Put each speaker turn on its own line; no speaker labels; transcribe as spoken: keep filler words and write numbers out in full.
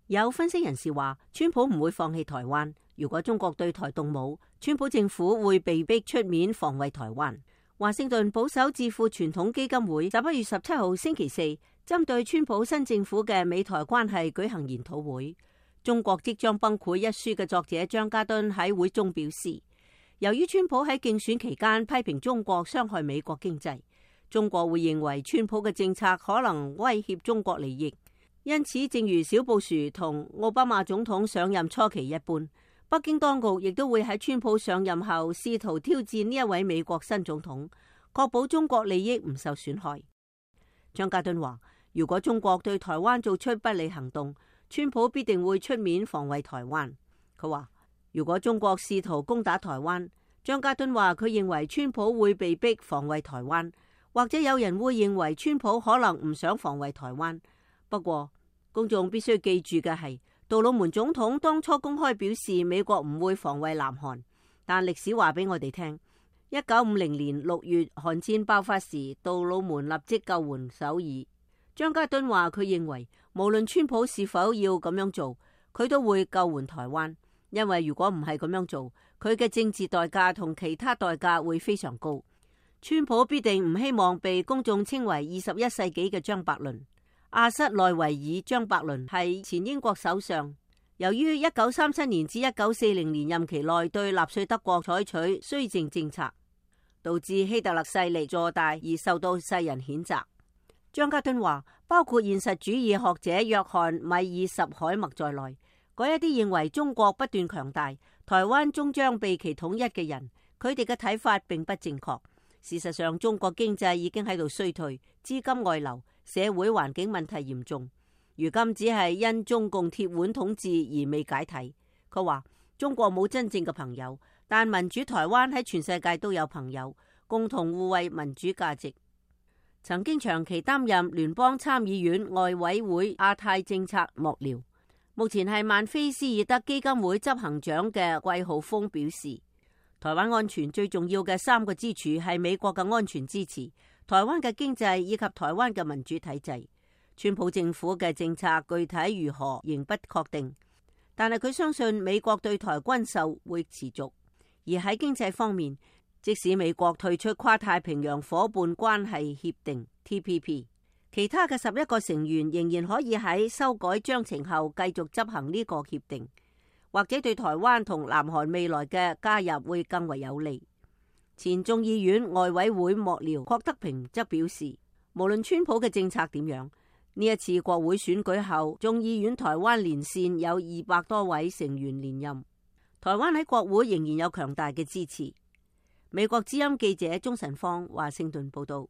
有分析人士話，川普唔會放棄台灣。如果中國對台動武，川普政府會被逼出面防衛台灣。華盛頓保守智庫傳統基金會十一月十七號星期四針對川普新政府嘅美台關係舉行研討會。中國即將崩潰一書嘅作者張家敦喺會中表示，由於川普喺競選期間批評中國傷害美國經濟，中國會認為川普嘅政策可能威脅中國利益。因此，正如小布殊同奧巴馬總統上任初期一般，北京當局亦都會喺川普上任後試圖挑戰呢一位美國新總統，確保中國利益唔受損害。張家敦話，如果中國對台灣做出不利行動，川普必定會出面防衛台灣。佢話，如果中國試圖攻打台灣，張家敦話佢認為川普會被逼防衛台灣，或者有人會認為川普可能唔想防衛台灣。不過，公眾必須記住嘅係，杜魯門總統當初公開表示美國唔會防衛南韓，但歷史話俾我哋聽，一九五零年六月韓戰爆發時，杜魯門立即救援首爾。張家敦話佢認為，無論川普是否要咁樣做，佢都會救援台灣，因為如果唔係咁樣做，佢嘅政治代價同其他代價會非常高。川普必定唔希望被公眾稱為二十一世紀嘅張伯倫。阿瑟內維爾張伯倫係前英國首相，由於一九三七年至一九四零年任期內對納粹德國採取綏靖政策，導致希特勒勢力坐大而受到世人譴責。張家敦話，包括現實主義學者約翰米爾什海默在內，嗰一啲認為中國不斷強大，台灣終將被其統一嘅人，佢哋嘅睇法並不正確。事實上，中國經濟已經喺度衰退，資金外流，社會環境問題嚴重，如今只係因中共鐵腕統治而未解體。佢話，中國冇真正嘅朋友，但民主台灣喺全世界都有朋友，共同護衛民主價值。曾經長期擔任聯邦參議院外委會亞太政策幕僚，目前係曼菲斯爾德基金會執行長嘅季浩峰表示，台灣安全最重要嘅三個支柱係美國嘅安全支持、台灣嘅經濟以及台灣嘅民主體制。川普政府嘅政策具體如何仍不確定，但係佢相信美國對台軍售會持續。而喺經濟方面，即使美國退出跨太平洋夥伴關係協定 T P P， 其他嘅十一個成員仍然可以喺修改章程後繼續執行呢個協定，或者對台灣同南韓未來嘅加入會更為有利。前眾議院外委會幕僚郭德平則表示，無論川普嘅政策點樣，呢一次國會選舉後，眾議院台灣連線有二百多位成員連任，台灣喺國會仍然有強大嘅支持。美國之音記者鍾晨芳華盛頓報道。